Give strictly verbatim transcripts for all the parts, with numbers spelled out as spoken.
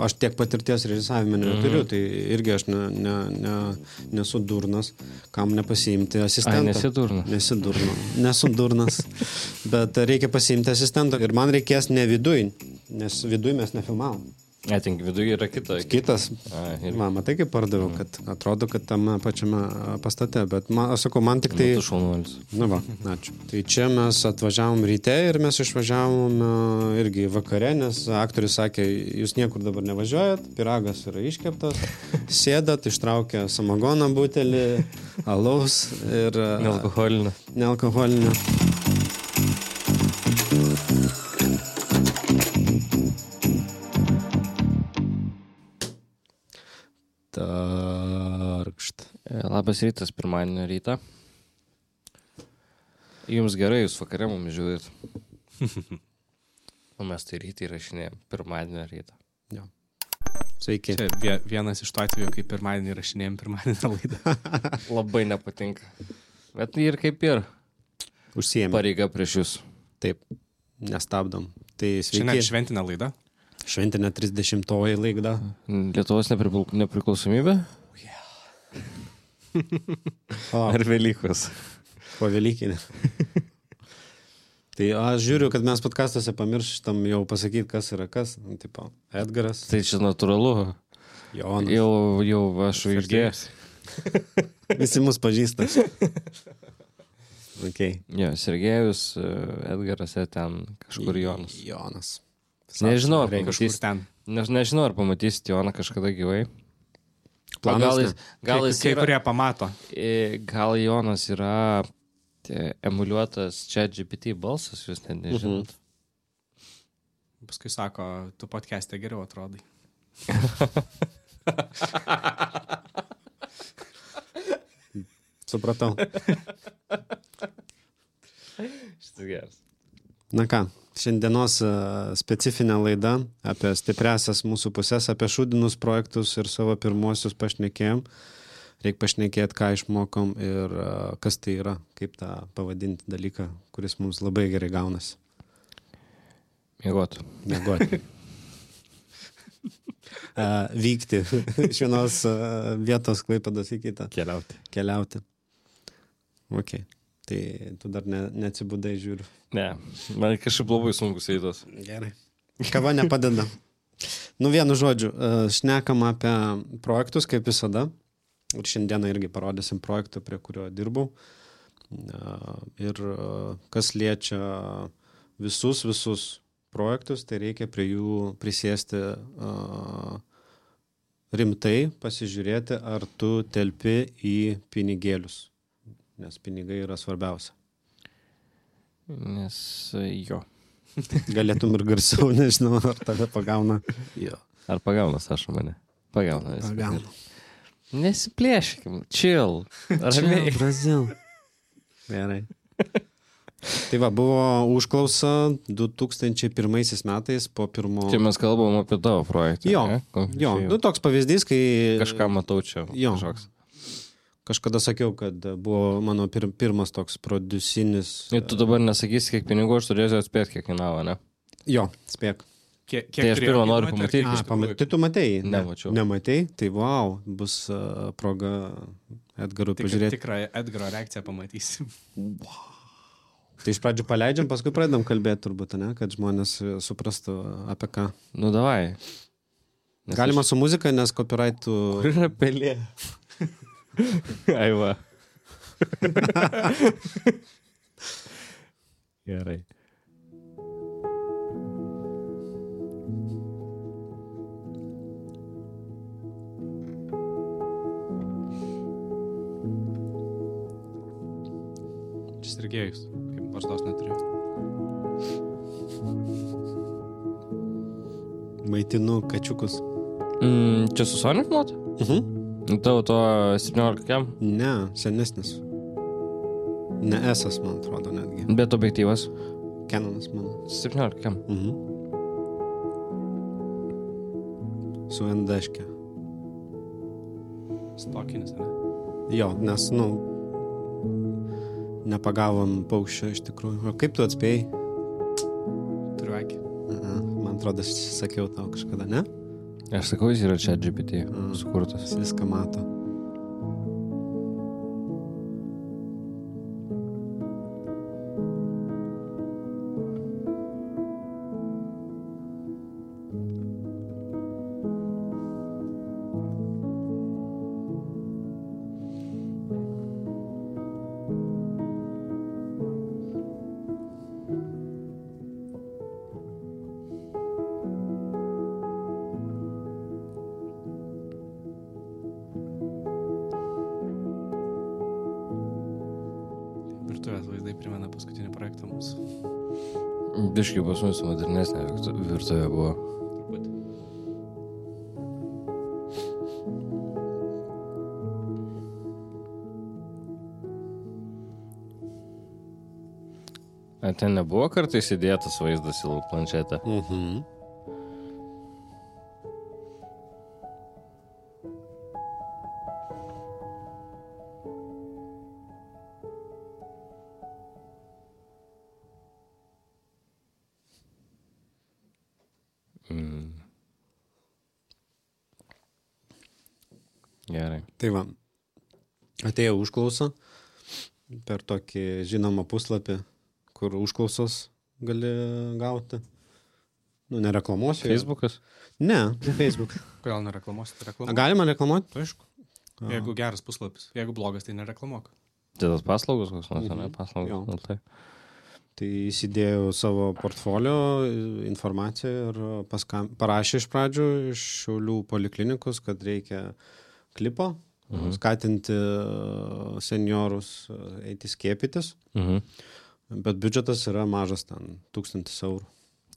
Aš tiek patirties režisavime neturiu, mm. tai irgi aš ne, ne, ne, nesu durnas, kam nepasiimti asistentą. Ai, nesi durnas. Nesi durnas. Nesu durnas, bet reikia pasiimti asistentą. Ir man reikės ne viduj, nes viduj mes nefilmavom. Atink, viduje yra kita. Kitas. A, man, matai, kaip pardaviau, mm. kad atrodo, kad tame pačiame pastate, bet man, aš sakau, man tik tai... Tu šaunuolis. Na va, ačiū. Tai čia mes atvažiavom ryte ir mes išvažiavom irgi vakare, nes aktorius sakė, jūs niekur dabar nevažiuojat, piragas yra iškeptas, sėdat, ištraukia samagoną butelį, alaus ir... Nealkoholinio. Nealkoholinio. Tarkšt. Labas rytas, pirmadienio rytą. Jums gerai, jūs vakarė mums žiūrėt. O mes tai rytį įrašinėjom, pirmadienio rytą. Jo. Sveiki. Čia vienas iš to atveju, kaip pirmadienį įrašinėjom pirmadienio laidą. Labai nepatinka. Bet ir kaip ir. Užsiėmė. Pareiga prieš jūs. Taip, nestabdom. Tai sveiki. Šiandien šventinė laida. Šventinė trisdešimtoji laida. Lietuvos nepripil... nepriklausomybė? Oh, yeah. Ar Velykos? Po Velykinė. Tai aš žiūriu, kad mes podcastuose pamirštam jau pasakyti, kas yra kas. Tipo, Edgaras. Tai čia natūralu. Jonas. Jau, jau aš išgėjęs. Visi mus pažįsta. Okay. Jo, Sergejus, Edgaras, ten kažkur Jonas. Jonas. Nežinau, ar pamatys ten. Ne, nežinau, ar pamatys Joną kažkada gyvai. Planas, gal jis, gal jis kai, kai yra, kurie pamato. Gal Jonas yra tie, emuliuotas ChatGPT balsas, jūs net nežinot. Mhm. Paskui sako, tu podcast'e geriau atrodai. Supratau. Šitas geras. Na ką, šiandienos specifinė laida apie stipriasias mūsų pusės, apie šūdinus projektus ir savo pirmuosius pašnekėjom. Reikia pašnekėti, ką išmokom ir kas tai yra, kaip tą pavadinti dalyką, kuris mums labai gerai gaunasi. Miegot. Miegot. Vykti iš vienos vietos Klaipėdos į kitą. Keliauti. Keliauti. Ok. Tai tu dar ne, neatsibudai, žiūriu. Ne, man kažkaip labai sunkus eitas. Gerai. Kava nepadeda. Nu, vienu žodžiu, šnekam apie projektus, kaip visada. Ir šiandieną irgi parodysim projektą, prie kurio dirbau. Ir kas liečia visus, visus projektus, tai reikia prie jų prisėsti rimtai, pasižiūrėti, ar tu telpi į pinigėlius. Nes pinigai yra svarbiausia. Nes jo. Galėtum ir garsiau, nežinau, ar tave pagauna. Jo. Ar pagauna, Saša, mane? Pagauna. Pagauna. Nesiplėškim, chill. Chill, Brazil. Gerai. Tai va, buvo užklausa du tūkstančiai pirmaisiais metais po pirmo... Čia mes kalbam apie tavo projektą. Jo, ne? Jo. Nu, toks pavyzdys, kai... Kažką matau čia. Jo. Kažkoks. Kažkada sakiau, kad buvo mano pir, pirmas toks produsinis... Ir tu dabar nesakysi, kiek pinigų aš turėsiu atspėti, kiek kainavo, ne? Jo, spėk. Kiek, tai aš pirmą noriu pamatyti. A, pamat... Tai tu matei? Nemačiau. Nematei? Tai wow, bus uh, proga Edgarui Tik, pažiūrėti. Tikrą Edgaro reakciją pamatysim. Wow. Tai iš pradžių paleidžiam, paskui pradedam kalbėti turbūt, ne? Kad žmonės suprastų apie ką. Nu, davai. Nes galima aš... su muzika, nes copyrightų... Kur yra pelė? Aiva. Gerai. Čia Sergejus, kaip barzdos neturiu. Maitinu kačiukus. Mm, čia su Sony filmuota? Mhm. Tavo to septyniolika kiam? Ne, senesnis. Ne esas, man atrodo, netgi. Bet objektyvas? Canonas, mano. septyniolika kiam? Mhm. Su N D-ške. Stokinis, ne? Jo, nes, nu, nepagavom paukščio iš tikrųjų. O kaip tu atspėjai? Turiu akį. Aha, man atrodo, aš sakiau tau kažkada, ne? Aš sakau, jis yra ChatGPT sukurtas. Jis viską mato. Virtuvės vaizdai primena paskutinį projektą mūsų. Biškai pas mus modernesnė virtu- virtuvė buvo. Turbūt. A ten nebuvo kartais įdėtas vaizdas į planšetę? Mhm. Mm. Gerai. Tai va, atėjo užklausa per tokį žinomą puslapį, kur užklausos gali gauti. Nu, nereklamuosiu. Facebookas? Ne, ne Facebook. Kodėl nereklamuosi, tai A, reklamuok. galima reklamuoti? Tai aišku. Jeigu geras puslapis, jeigu blogas, tai nereklamuok. Tai tas paslaugos koks nors, ne? Mhm. Paslaugos. Jo. Nu, tai. Tai įsidėjau savo portfolio informaciją ir paskam, parašė iš pradžių iš Šiaulių poliklinikos, kad reikia klipo, Mhm. skatinti seniorus eiti skiepytis, Mhm. bet biudžetas yra mažas ten, tūkstantis eurų.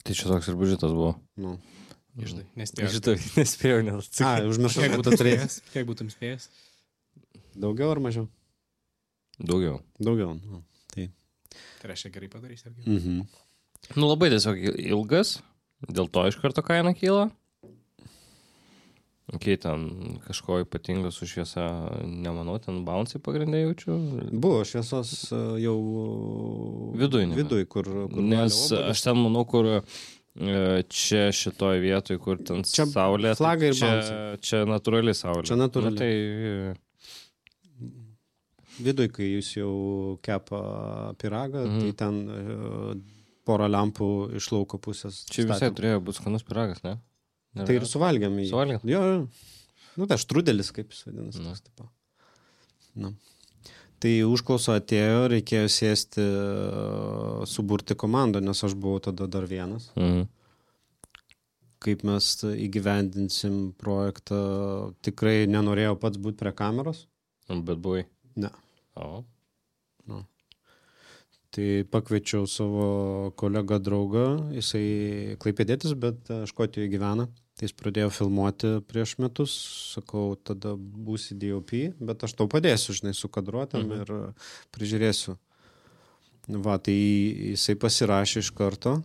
Tai čia toks ir biudžetas buvo. Nu. Išdai, nespėjau. Šitą nespėjau, nes A, užmiršau, Kiek kad tu būtum turėjai. spėjęs? Kiek būtum spėjęs? Daugiau ar mažiau? daugiau. Daugiau. Nu. Tai. Tai reiškia gerai padarys, irgi. Mhm. Nu labai tiesiog ilgas, dėl to iš karto kaina kyla. Kai ten kažko ypatingo su šviesa, nemanau, ten bouncy pagrindai jaučiu. Buvo šviesos e, jau Viduj nėra. viduj, kur, kur Nes valė obuolius. aš ten manau, kur e, čia šitoj vietoj, kur ten Čia saulė, flagai ir čia, bouncy. čia natūrali saulė. Čia natūrali. Nu, tai Viduj, kai jūs jau kepa piragą, Mhm. tai ten e, porą lempų iš lauko pusės. čia visai statėm. turėjo būti skanus piragas, ne? Nėra? Tai ir suvalgėm jį. Suvalgėt? Jo, jo. Nu, tai štrudelis, kaip jis vadinasi. Nu. toks tipo. Nu. Tai užklauso atėjo, reikėjo sėsti, e, suburti komandą, nes aš buvau tada dar vienas. Mhm. Kaip mes įgyvendinsim projektą, tikrai nenorėjau pats būti prie kameros. Bet buvai. Ne. O. Tai pakviečiau savo kolegą draugą, jisai klaipėdėtis, bet e, Škotijoje gyvena. Tai jis pradėjo filmuoti prieš metus, sakau, tada būsi D O P, bet aš tau padėsiu, žinai, su kadruotėm Mhm. ir e, prižiūrėsiu. Va, tai jisai pasirašė iš karto.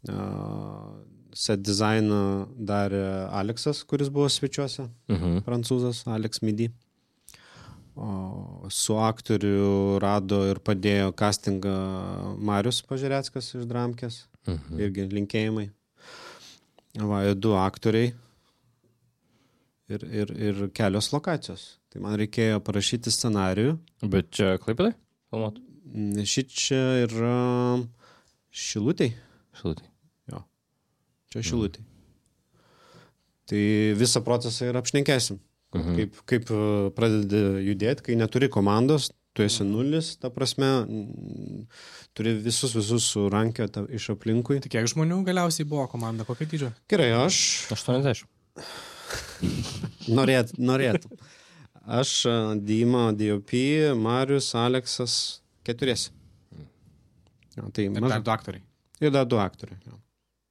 Uh, set dizainą darė Aleksas, kuris buvo svečiuose, Mhm. prancūzas, Alex Midi. O su aktoriu rado ir padėjo castingą Marius Pažireckas iš Dramkės. Mhm. Irgi linkėjimai. Va, ir du aktoriai ir, ir, ir kelios lokacijos. Tai man reikėjo parašyti scenarijų. Bet čia klaipėdai? Filmuot? Šit čia yra Šilutėj. Šilutėj. Čia Šilutėj. Tai visą procesą ir apšnekėsim. Mhm. Kaip, kaip e, pradedi judėti, kai neturi komandos, tu esi nulis, ta prasme, mm, turi visus visus surankioti iš aplinkui. Tai kiek žmonių galiausiai buvo komanda, kokio dydžio? Gerai, aš aštuoniasdešimt. norėt, norėtų. Aš, e, Dima, D O P, Marius, Aleksas, keturiesi. Jo, tai Ir dar maža. du aktoriai. Ir dar du aktoriai. Jo.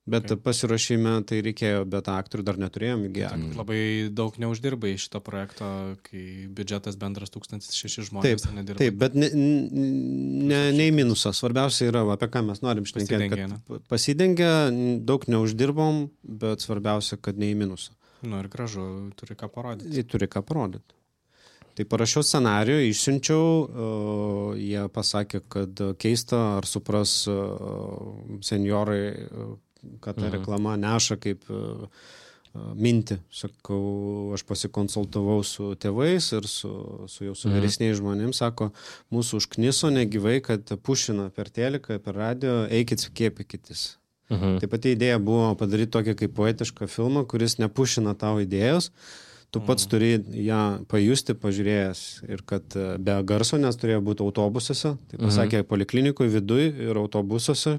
Bet Okay. okay. pasiruošime tai reikėjo, bet aktorių dar neturėjom įgyję. Tai labai daug neuždirbai iš šito projekto, kai biudžetas bendras tūkstantis šeši žmonės. Taip, nedirba. taip, bet ne, ne, ne į minusą. Svarbiausia yra, va, apie ką mes norim šnekėti. Pasidengia, ne? kad Pasidengia, daug neuždirbom, bet svarbiausia, kad ne į minusą. Nu ir gražu, turi ką parodyti. Jie turi ką parodyti. Tai parašiau scenarijų, išsiunčiau, uh, jie pasakė, kad keista, ar supras uh, seniorai, uh, kad ta Mhm. reklama neša kaip uh, mintį. Sakau, aš pasikonsultavau su tėvais ir su, su jau su vyresniais žmonėms. Sako, mūsų užkniso negyvai, kad pušina per teliką, per radio, eikit skiepykitės. Mhm. Taip pat idėja buvo padaryti tokį kaip poetišką filmą, kuris nepušina tau idėjos. Tu pats turi ją pajusti, pažiūrėjęs. Ir kad be garso, nes turėjo būti autobusuose. Tai pasakė, mhm. poliklinikui viduj ir autobusuose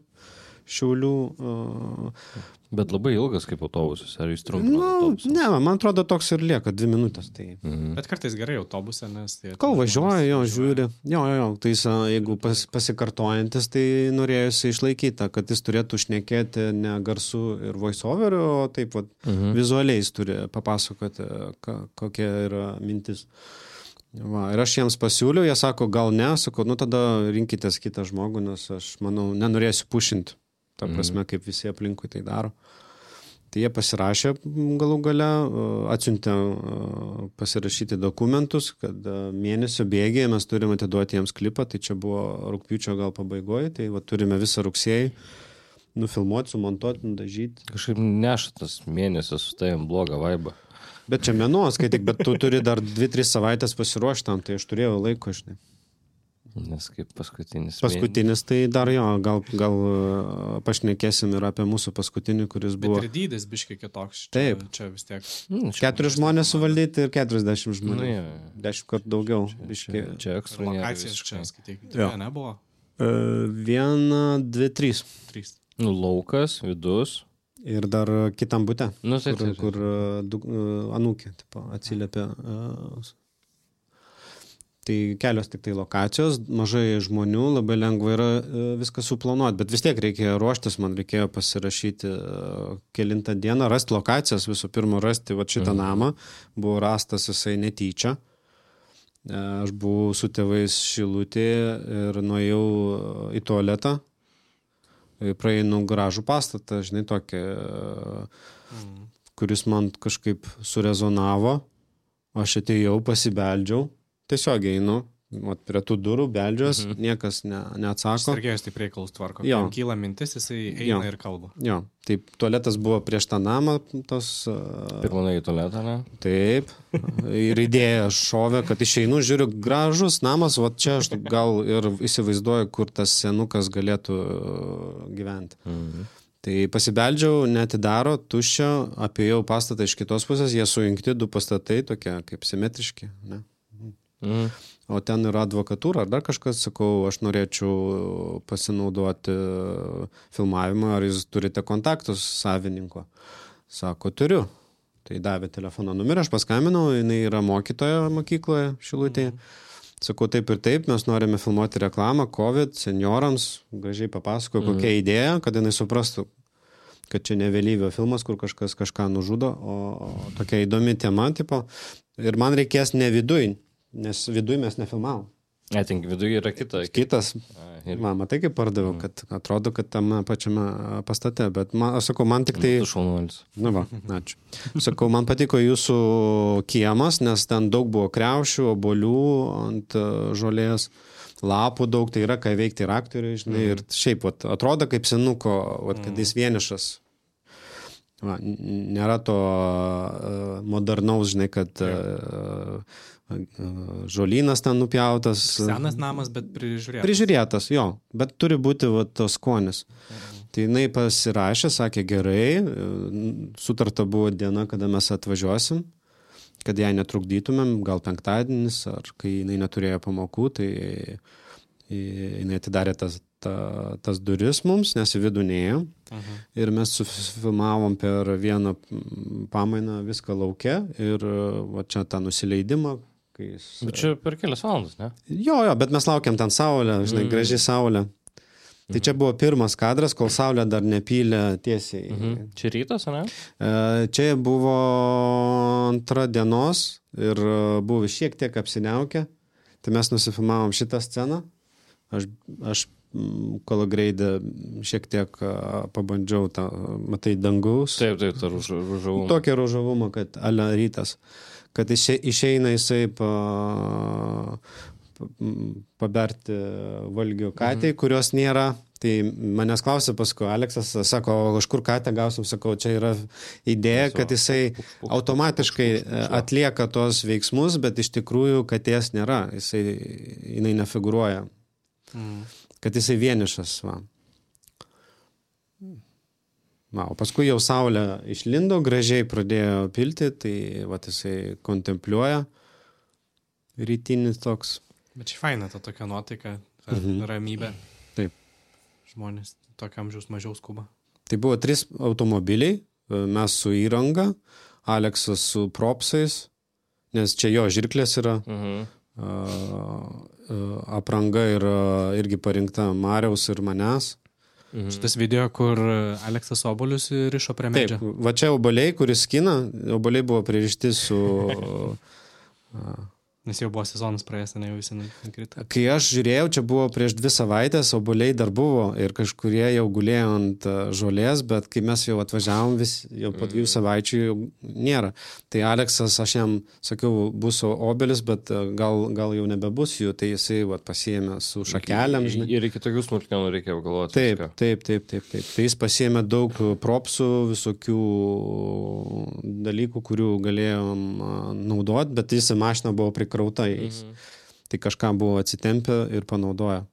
Šiaulių. Uh, Bet labai ilgas kaip autobusas, ar jis trumpas nu, autobusas? Ne, man atrodo toks ir lieka, dvi minutės. Tai... Mhm. Bet kartais gerai autobuse, nes... Tai Kol važiuoja, jo, žiūri. Jo, jo, jo, tai jis, jeigu pas, pasikartojantis, tai norėjusi išlaikyti, kad jis turėtų šnekėti ne garsu ir voice-overiu, o taip vat, mhm. vizualiai jis turi papasakoti, ka, kokia yra mintis. Va, ir aš jiems pasiūliau, jie sako, gal ne, sako, nu tada rinkitės kitą žmogų, nes aš, manau, nenorėsiu pušinti. Ta prasme, kaip visi aplinkui tai daro. Tai jie pasirašė galų gale, atsiuntė pasirašyti dokumentus, kad mėnesio bėgėje mes turime atiduoti jiems klipą, tai čia buvo rugpjūčio gal pabaigoje, tai va, turime visą rugsėjį nufilmuoti, sumontuoti, nudažyti. Kažkaip neša tas mėnesis su tavim blogą vaibą. Bet čia mėnuo, skaityk, bet tu turi dar dvi tris savaitės pasiruošti tam, tai aš turėjau laiko, žinai. Nes kaip paskutinis. Paskutinis, tai dar jo, gal, gal pašnekėsim ir apie mūsų paskutinį, kuris buvo... Bet ir dydis biškiai kitoks. Čia, Taip. Čia vis tiek... Mm, Keturis žmonės suvaldyti ir keturiasdešimt žmonių. Nu, jo. Dešimt kartų daugiau. Čia, čia ekstra nėra Lokacijas čia, visiškai. skaityk. Jo. Tai nebuvo? Uh, viena, dvi, trys. Trys. Nu, laukas, vidus. Ir dar kitam bute, Nu, tai, kur, tai, tai. kur uh, du, uh, anūkė tipo, atsiliepė. Uh, tai kelios tik tai lokacijos, mažai žmonių, labai lengva yra uh, viską suplanuoti, bet vis tiek reikėjo ruoštis, man reikėjo pasirašyti uh, kelintą dieną, rasti lokacijas, visų pirma rasti va, šitą mhm. namą, buvo rastas jisai netyčia. Uh, aš buvau su tėvais Šilutėje ir nuėjau uh, į tualetą. Praeinu gražų pastatą, žinai, tokį, mm. kuris man kažkaip surezonavo. Aš atėjau, pasibeldžiau, tiesiog einu, vat, prie tų durų beldžiuos, mm-hmm. niekas ne, neatsako. Sergėjus taip reikalus tvarko. Jo. Jam kyla mintis, jisai eina Jo. ir kalba. Jo, taip, tualetas buvo prieš tą namą, tos... Pirmąjį tualetą, ne? Taip, ir idėja šovė, kad išeinu, žiūriu, gražus namas, va čia aš gal ir įsivaizduoju, kur tas senukas galėtų gyventi. Mhm. Tai pasibeldžiau, netidaro, tuščia, apėjau pastatą iš kitos pusės, jie sujungti, du pastatai tokie kaip simetriški, ne? Mhm. O ten yra advokatūra, ar dar kažkas, sakau, aš norėčiau pasinaudoti filmavimą, ar jūs turite kontaktus savininko. Sako, turiu. Tai davė telefono numerį, aš paskambinau, jinai yra mokytoja mokykloje Šilutėje. Sakau, taip ir taip, mes norime filmuoti reklamą, COVID, seniorams, gražiai papasakoju, kokia mm. idėja, kad jinai suprastų, kad čia ne vėlyvio filmas, kur kažkas kažką nužudo, o tokia įdomi tema, tipo. Ir man reikės ne viduj, nes viduj mes nefilmavom. Atink, viduje yra kita. Kitas. A, ir... Man, matai, kaip pardaviau, kad atrodo, kad tame pačiame pastate, bet man, aš sakau, man tik tai... Tu šaunuolis. Na va, ačiū. Sakau, man patiko jūsų kiemas, nes ten daug buvo kriaušių, obolių ant žolės, lapų daug, tai yra ką veikti ir aktoriai, žinai, ir šiaip, vat, atrodo kaip senuko, vat, kad jis vienišas. Va, nėra to uh, modernaus, žinai, kad uh, uh, žolynas ten nupjautas. Senas namas, bet prižiūrėtas. Prižiūrėtas, jo, bet turi būti va, tos skonis. Mhm. Tai jinai pasirašė, sakė gerai, sutarta buvo diena, kada mes atvažiuosim, kad jai netrukdytumėm, gal penktadienis, ar kai jinai neturėjo pamokų, tai jinai atidarė tas, ta, tas duris mums, nes į vidų neėjo. Uh-huh. Ir mes sufilmavom per vieną pamainą viską lauke ir va čia tą nusileidimą. Jis... Bet čia per kelias valandas, ne? Jo, jo, bet mes laukiam ten saulę, žinai, mm. gražiai saulė. Tai čia buvo pirmas kadras, kol saulė dar nepylė tiesiai. Mhm. Čia rytas, ne? Čia buvo antra dienos ir buvo šiek tiek apsiniaukę. Tai mes nusifilmavom šitą sceną. Aš, aš kolagreidę šiek tiek pabandžiau tą, matai, dangaus. Taip, taip, tą ružavumą. Tokią ružavumą, kad ale rytas. Kad iše, išeina jisai pa, paberti valgių katei, mhm. kurios nėra. Tai manęs klausė paskui, Aleksas sako, iš kur katę gausim, sakau, čia yra idėja, kad jisai automatiškai atlieka tos veiksmus, bet iš tikrųjų katės nėra, jisai, jinai nefiguruoja, mm. kad jisai vienišas, va. Va, o paskui jau saulė išlindo, gražiai pradėjo pilti, tai va, jisai kontempliuoja, rytinis toks. Bet čia faina, ta tokia nuotaika, ta mhm. ramybė. Taip. Žmonės tokiam amžiaus mažiau skuba. Tai buvo trys automobiliai, mes su įranga, Aleksas su propsais, nes čia jo žirklės yra, mhm. apranga yra irgi parinkta Mariaus ir manęs. Mhm. Šitas video, kur Aleksas obuolius rišo prie medžio. Taip, va čia obuoliai, kuris skina, obuoliai buvo pririšti su... Nes jau buvo sezonas praėjęs, ne jau visi nukrito. Kai aš žiūrėjau, čia buvo prieš dvi savaitės, obuoliai dar buvo ir kažkurie jau gulėjo ant žolės, bet kai mes jau atvažiavom, vis, jau po dviejų savaičių jau nėra. Tai Aleksas, aš jam sakiau, bus obelis, bet gal, gal jau nebebus jų, tai jisai vat, pasiėmė su šakelėm. Žinai. Ir iki tokių smulkmenų reikia galvoti. Taip, taip, taip, taip, taip. Tai jis pasiėmė daug propsų, visokių dalykų, kurių galėjom naudoti, bet jis mašina buvo prikrauta jais. Mhm. Tai kažką buvo atsitempę ir panaudoję.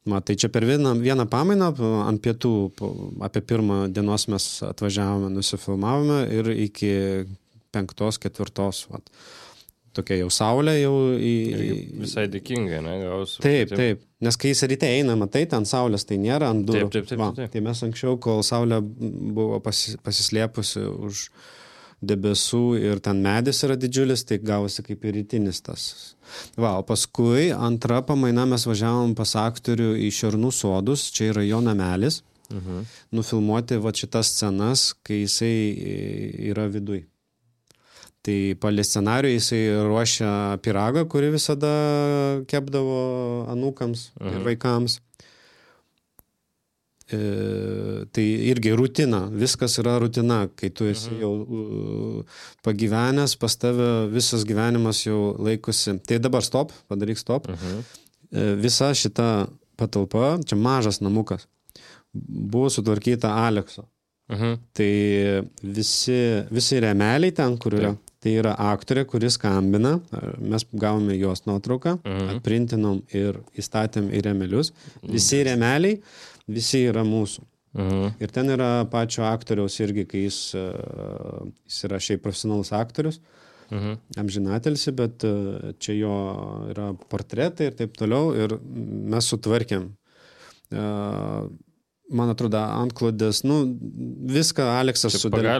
Ma, tai čia per vieną, vieną pamainą ant pietų, apie pirmą dienos mes atvažiavome, nusifilmavome ir iki penktos, ketvirtos. Vat. Tokia jau saulė jau į... Visai dėkingai, ne? Gausiu. Taip, taip. Nes kai jis ryte eina, matai, ten saulės tai nėra ant durų. Taip, taip, taip, Va, taip. Tai mes anksčiau, kol saulė buvo pasi, pasislėpusi už debesų ir ten medis yra didžiulis, tai gavosi kaip ir rytinis tas. Va, o paskui antra pamaina mes važiavom pas aktorių į Šernų sodus, čia yra jo namelis, uh-huh. nufilmuoti va šitas scenas, kai jisai yra viduj. Tai palė scenarijų jisai ruošia pyragą, kurį visada kepdavo anūkams uh-huh. ir vaikams. E, tai irgi rutina, viskas yra rutina, kai tu esi jau uh, pagyvenęs, pas tave visas gyvenimas jau laikosi. Tai dabar stop, padaryk stop. Uh-huh. E, visa šita patalpa, čia mažas namukas, buvo sutvarkyta Alekso. Uh-huh. Tai visi, visi remeliai ten, kur yra, taip. Tai yra aktorė, kuris skambina, mes gavome jos nuotrauką, uh-huh. atprintinom ir įstatėm į remelius. Visi remeliai, visi yra mūsų. Uh-huh. Ir ten yra pačio aktoriaus irgi, kai jis, jis yra šiaip profesionalus aktorius, uh-huh. amžinatelsi, bet čia jo yra portretai ir taip toliau. Ir mes sutvarkėm. Man atrodo, antklodės, nu, viską Aleksas sudarė.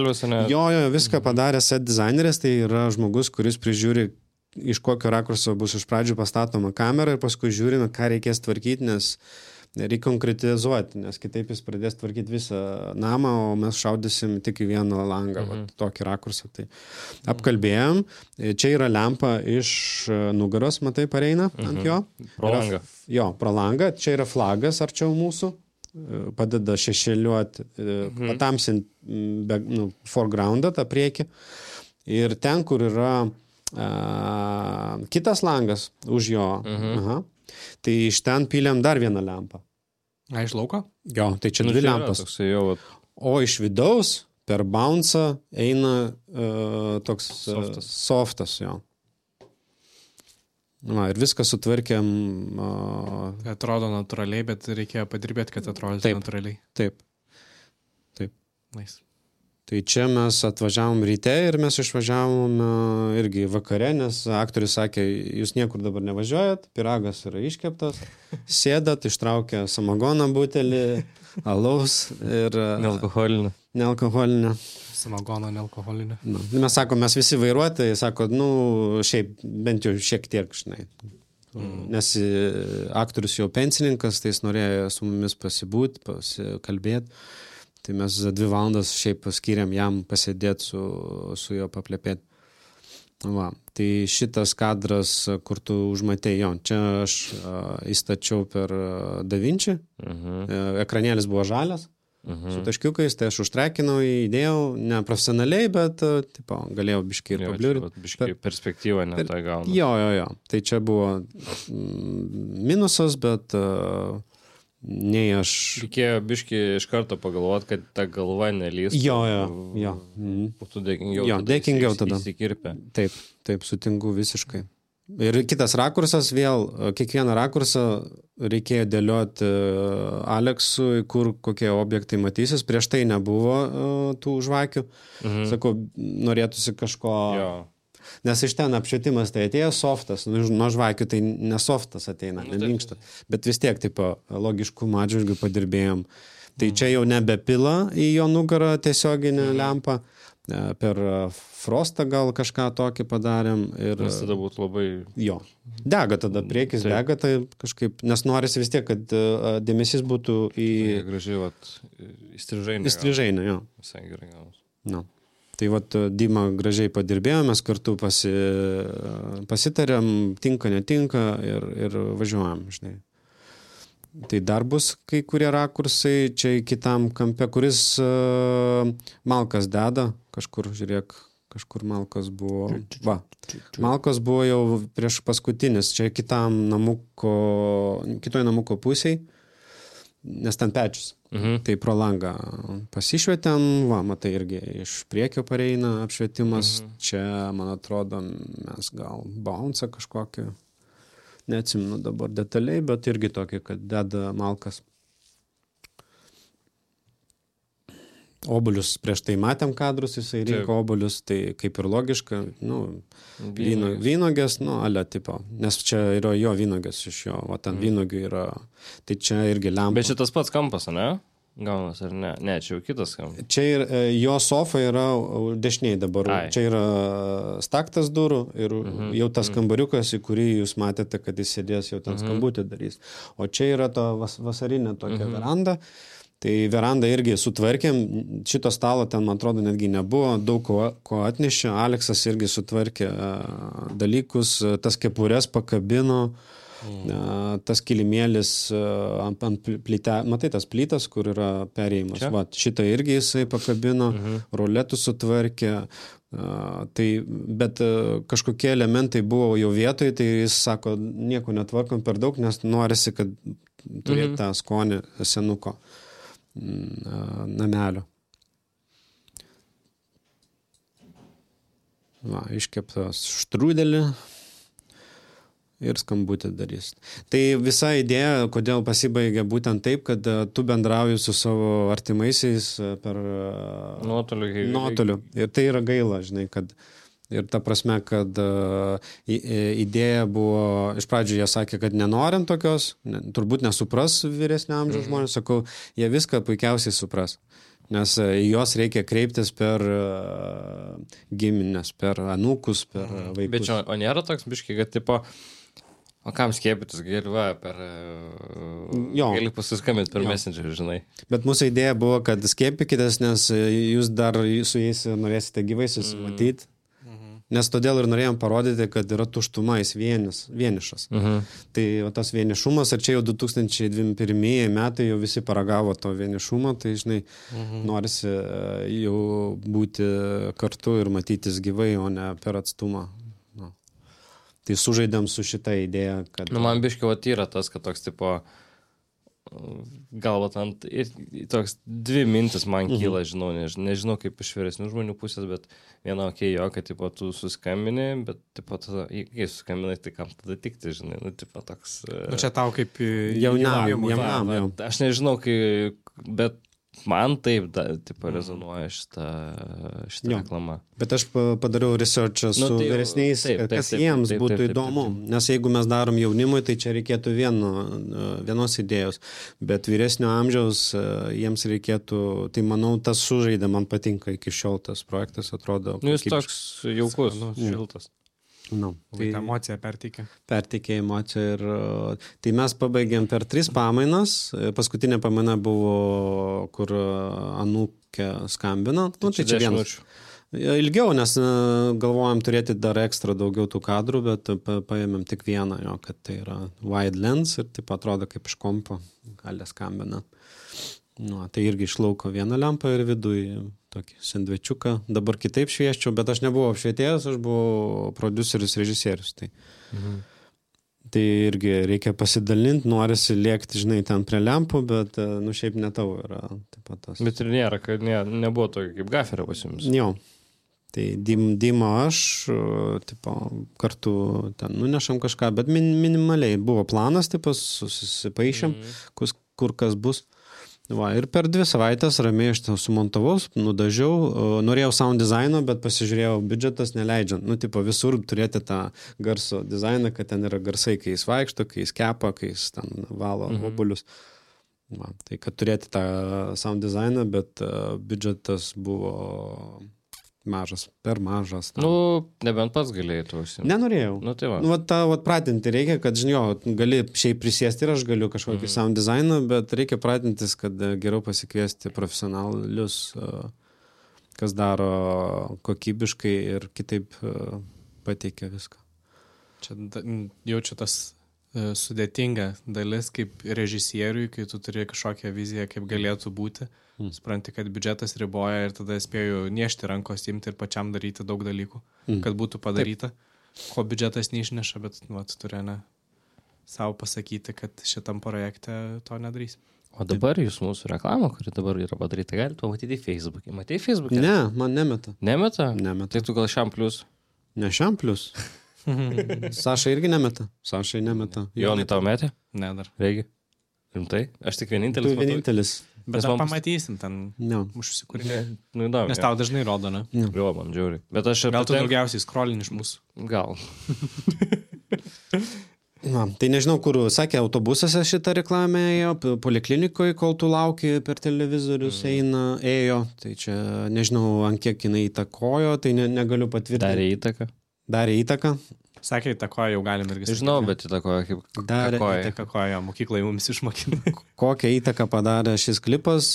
Jo, jo, viską padarė set dizaineris, tai yra žmogus, kuris prižiūri, iš kokio rakurso bus iš pradžių pastatoma kamera ir paskui žiūrime, ką reikės tvarkyti, nes reikia konkretizuoti, nes kitaip jis pradės tvarkyti visą namą, o mes šaudysim tik į vieną langą, mhm. va, tokį rakursą. Tai apkalbėjom, čia yra lempa iš nugaros, matai, pareina mhm. ant jo. Pro langą. Jo, pro langą, čia yra flagas arčiau mūsų, padeda šešėliuoti, mhm. patamsinti nu, foregroundą, tą priekį. Ir ten, kur yra a, kitas langas už jo, mhm. aha, tai iš ten pylėm dar vieną lempą. A, iš lauko? Jo, tai čia nu, dvi lempas. Jau... O iš vidaus per bouncą eina uh, toks softas. Uh, softas, jo. Na, ir viską sutvarkėm. Uh... Atrodo natūraliai, bet reikėjo padirbėti, kad atrodo natūraliai. Taip, taip. Nice. Tai čia mes atvažiavom ryte ir mes išvažiavom uh, irgi vakare, nes aktorius sakė, jūs niekur dabar nevažiuojat, piragas yra iškeptas, sėdat, ištraukia samagoną butelį, alaus ir... Uh, nealkoholinę. Nealkoholinę. Samagoną, nealkoholinę. Nu, mes sako, mes visi vairuotojai, sako, nu, šiaip, bent jau šiek tiek, žinai. Mm. Nes aktorius jau pensininkas, tai jis norėjo su mumis pasibūti, pasikalbėti. Tai mes dvi valandas šiaip skiriam jam pasėdėti su, su juo paplepėti. Va, tai šitas kadras, kur tu užmatei, jo, čia aš a, įstačiau per DaVinci, uh-huh. ekranėlis buvo žalias, uh-huh. su taškiukais, tai aš užtrekinau, įdėjau, ne profesionaliai, bet tipo, galėjau biškai ir pabliūrti. Biškai per, perspektyvą net per, tą gauna. Jo, jo, jo, tai čia buvo mm, minusas, bet... Uh, nei aš... Reikėjo biški iš karto pagalvoti, kad ta galva nelys. Jo, jo, jo. Mhm. Būtų dėkingiau. Jo, dėkingiau tada. Įsikirpę. Taip, taip, sutinku visiškai. Ir kitas rakursas vėl, kiekvieną rakursą reikėjo dėlioti Aleksui, kur kokie objektai matysis. Prieš tai nebuvo tų žvakių. Mhm. Sakau, norėtųsi kažko... Jo. Nes iš ten apšvietimas tai atėjo softas, nuo žvakių tai nesoftas ateina, neminkšta. Bet vis tiek, taip, logiškų atžvilgių padirbėjom. Tai mm. čia jau nebepila į jo nugarą tiesioginę mm. lempą, per frostą gal kažką tokį padarėm. Ir... Nes tada būtų labai... Jo, dega tada, priekis taip. Dega, tai kažkaip, nes norisi vis tiek, kad dėmesys būtų į... Tai gražiai, vat, įstrižainė. Įstrižainė, jo. Visai gerai gavus. No. Tai vat Dima gražiai padirbėjom, mes kartu pasi, pasitarėm, tinka, netinka ir, ir važiuojam, žinai. Tai dar bus kai kurie rakursai, čia kitam kampe, kuris uh, Malkas deda, kažkur, žiūrėk, kažkur Malkas buvo, va, Malkas buvo jau prieš paskutinis, čia kitam namuko, kitoj namuko pusiai, nes ten pečius. Mhm. Tai pro langą pasišvietėm, va, matai, irgi iš priekio pareina apšvietimas, mhm. čia, man atrodo, mes gal bounce kažkokį, neatsimenu dabar detaliai, bet irgi tokį, kad deda Malkas. Obuolius prieš tai matėm kadrus, jisai rinko obuolius, tai kaip ir logiška, nu, vyno, vynogės, nu, ale tipo, nes čia yra jo vynogės iš jo, o ten mm. vynogių yra, tai čia irgi lempa. Bet šitas pats kampas, ne? Gaunas ar ne? Ne, čia jau kitas kampas. Čia ir jo sofa yra dešiniai dabar, Ai. Čia yra staktas durų ir mm-hmm. jau tas kambariukas, į kurį jūs matėte, kad jis sėdės, jau ten mm-hmm. skambutį darys. O čia yra to vas, vasarinė tokia mm-hmm. veranda. Tai verandą irgi sutvarkėm, šito stalo ten, man atrodo, netgi nebuvo, daug ko, ko atnešė, Aleksas irgi sutvarkė uh, dalykus, tas kepures pakabino, mm. uh, tas kilimėlis uh, ant, ant plyte, matai tas plytas, kur yra perėjimas, va, šitą irgi jisai pakabino, mm-hmm. roletų sutvarkė, uh, tai, bet uh, kažkokie elementai buvo jau vietoj, tai jis sako, nieko netvarkom per daug, nes norisi, kad turėtų mm-hmm. tą skonį senuko namelio. Va, iškeptas štrudelį ir skambutį darys. Tai visa idėja, kodėl pasibaigė būtent taip, kad tu bendrauji su savo artimaisiais per nuotoliu. nuotoliu. Ir tai yra gaila, žinai, kad ir ta prasme, kad uh, idėja buvo, iš pradžių jie sakė, kad nenorim tokios, ne, turbūt nesupras vyresnio amžiaus mm-hmm. žmonės, sakau, jie viską puikiausiai supras. Nes uh, jos reikia kreiptis per uh, giminės, per anūkus, per uh, vaikus. Bet čia, o nėra toks biškai, kad tipo, o kam skiepytis, gali va, per... Uh, gali pasiskambinti per jo. Messenger, žinai. Bet mūsų idėja buvo, kad skiepykitės, nes jūs dar su jais norėsite gyvai susimatyti. Mm. Nes todėl ir norėjom parodyti, kad yra tuštuma, jis vienis, vienišas. Uh-huh. Tai o tas vienišumas, ir čia jau du tūkstančiai dvidešimt pirmieji metai jau visi paragavo to vienišumo, tai žinai, uh-huh. norisi jau būti kartu ir matytis gyvai, o ne per atstumą. Nu. Tai sužaidėm su šitą idėją, kad... Nu, man biškiai vat yra tas, kad toks tipo... galvot ant ir toks dvi mintis man kyla, žinau, nežinau, nežinau kaip iš vyresnių žmonių pusės, bet viena okei, okay, jo, kad tipo tu suskambini, bet tipo tada, jei suskambinai, tai kam tada tikti, žinai, nu tipo toks... Nu čia tau kaip jaunam, jaunam, jaunam. Aš nežinau, kai, bet man taip, da, tipo, rezonuoja šitą, šitą reklamą. Bet aš padariau researchą su nu, tai, vyresniais, taip, taip, kas taip, jiems taip, taip, būtų taip, taip, įdomu. Taip, taip. Nes jeigu mes darom jaunimui, tai čia reikėtų vieno, vienos idėjos. Bet vyresnio amžiaus jiems reikėtų, tai manau, tas sužaidė, man patinka iki šiol tas projektas, atrodo. Nu, jis toks jaukus, nu, šiltas. No, tai emociją perteikė. Perteikė emociją ir tai mes pabaigėm per tris pamainas. Paskutinė pamaina buvo, kur anūkė skambino. Tai, nu, tai čia vienas. Ilgiau, nes galvojam turėti dar ekstra daugiau tų kadrų, bet pa, paėmėm tik vieną, jo, kad tai yra wide lens ir taip atrodo kaip iš kompo gali skambina. Nu, tai irgi išlauko vieną lempą ir viduj tokį sandvičiuką. Dabar kitaip švieščiau, bet aš nebuvau apšvietėjas, aš buvau prodiuseris, režisierius. Tai, mhm. Tai irgi reikia pasidalinti, norisi lėkti, žinai, ten prie lempų, bet, nu, šiaip ne tavo yra. Taip pat tas. Bet ir nėra, kad ne, nebuvo tokio kaip gaferio pas jums. Jo. Tai Dimo aš, tipo, kartu ten nunešam kažką, bet min, minimaliai buvo planas, tipo, susipaišėm, mm. kur, kur kas bus. Va, ir per dvi savaitės ramiai aš ten sumontavau, nudažiau, norėjau sound dizaino, bet pasižiūrėjau, biudžetas neleidžiant. Nu, tipo, visur turėti tą garso dizainą, kad ten yra garsai, kai jis vaikšto, kai jis kepa, kai jis ten valo mhm. obuolius. Va, tai kad turėti tą sound dizainą, bet uh, biudžetas buvo mažas, per mažas. Tam. Nu, nebent pats galėjai to užsiimti. Nenorėjau. Nu, tai va. Nu, va, tą va, pratinti reikia, kad, žinau, gali šiaip prisėsti ir aš galiu kažkokį mm. sound dizainą, bet reikia pratintis, kad geriau pasikviesti profesionalius, kas daro kokybiškai ir kitaip pateikia viską. Čia jaučiu tas sudėtinga dalis kaip režisieriui, kai tu turi kažkokią viziją, kaip galėtų būti. Mm. Supranti, kad biudžetas riboja ir tada spėjau niešti rankos, imti ir pačiam daryti daug dalykų, mm. kad būtų padaryta. Taip. Ko biudžetas neišneša, bet nu, tu turi ne savo pasakyti, kad šitam projekte to nedarys. O dabar Taip. Jūs mūsų reklamą, kuri dabar yra padaryta, galite pamatyti Facebook'e. Matei Facebook'e? Ne, man nemeta. Nemeta? Nemeta. Tai tu gal šiam plius? Ne šiam plius. Saša irgi nemeta. Sašai nemeta. Jonai tau metė? Ne dar. Reikia. Rimtai? Aš tik vienintelis. Tu vienintelis. Bet dar pamatysim ten no. užsikūrinę. Nu, įdomu. Nes tau dažnai rodo, ne? No. Jo, man žiūri. Bet aš... Gal tu daugiausiai scrollini iš mūsų? Gal. Na, tai nežinau, kur, sakė, autobusose šitą reklamę ėjo, poliklinikoje, kol tu lauki per televizorius mm. eina, ėjo. Tai čia nežinau, ant kiek jinai įtakojo, tai ne, negaliu patvirtinti. Darė įtaką? Darė įtaką. Sakė, įtakoja, jau galim irgi sakyti. Žinau, bet įtakoja kaip Darė įtakoja, mokyklai mums išmokino. Kokią įtaką padarė šis klipas,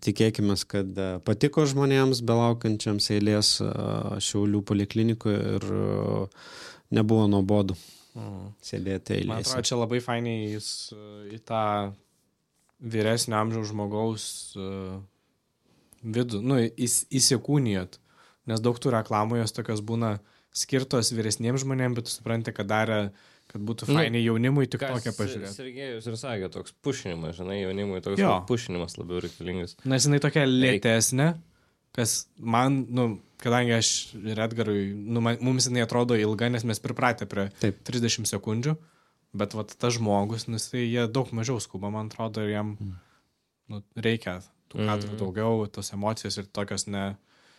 tikėkime, kad patiko žmonėms belaukiančiams eilės Šiaulių poliklinikoje ir nebuvo nuobodu mm. sėdėti eilėse. Man atrodo, čia labai fainiai jis į tą vyresnio amžiaus žmogaus vidų, nu, įs, įsikūnijot, nes daug tų reklamų jos tokios būna skirtos vyresniems žmonėms, bet tu supranti, kad darė, kad būtų fainiai nu, jaunimui tik tokią pažiūrėti. Sergejus ir sakė, toks pušinimas, žinai, jaunimui toks jo. Pušinimas labiau reikalingas. Nes jinai tokia lėtesnė, kas man, nu, kadangi aš ir Edgarui, nu, man, mums jinai atrodo ilga, nes mes pripratę prie Taip. trisdešimt sekundžių, bet vat tas žmogus, nes tai jie daug mažiau skuba, man atrodo, ir jam mm. nu, reikia tų kadrų mm. daugiau, tos emocijos ir tokios ne...